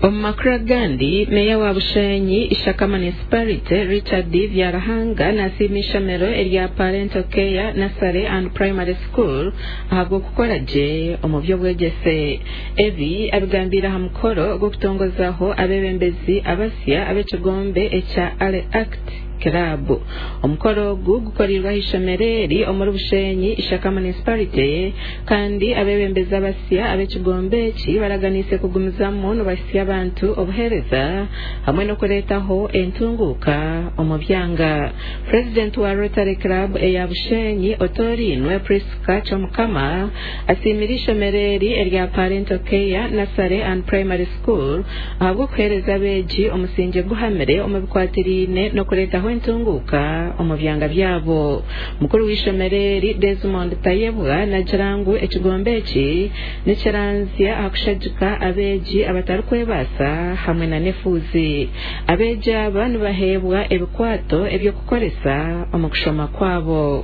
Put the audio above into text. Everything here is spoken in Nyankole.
Omu makuru agandi, Meeya wa Bushenyi Ishaka Municipality, Richard Byaruhanga nasiima eishomero erya Parental Care Nursery and Primary School ahabw'okukora gye omu by'obwegyese. Ebi abigambiire aha mukoro gw'okutongozaho abeebembezi abasya ab'ekigombe ekya Ale Act Club. Omukoro ogu gukoreirwe aha ishomero eri omuri Bushenyi Ishaka Municipality kandi abeebembezi abasya ab'ekigombe eki baraganiise kugumizamu nibahitsya abantu obuheereza hamwe n'okureetaho entunguuka omu byanga. Purezidenti wa Rotary Club eya Bushenyi otoorainwe Prisca Kyomukama asiimire eishomero eri erya Parental Care Nursery and Primary School ahabw'okuheereza abeegi omusingye guhamire omu bikwatiraine n'okureetaho entunguuka omu byanga byabo. Mukuru w'eishomero eri, Desmond Tayebwa nagira ngu ekigombe eki nikiranzya aha kushagika abeegi abatarikwebaasa hamwe na n'efuuzi. Abeegi aba nibaheebwa ebikwato eby'okukoresa omu kushoma kwabo.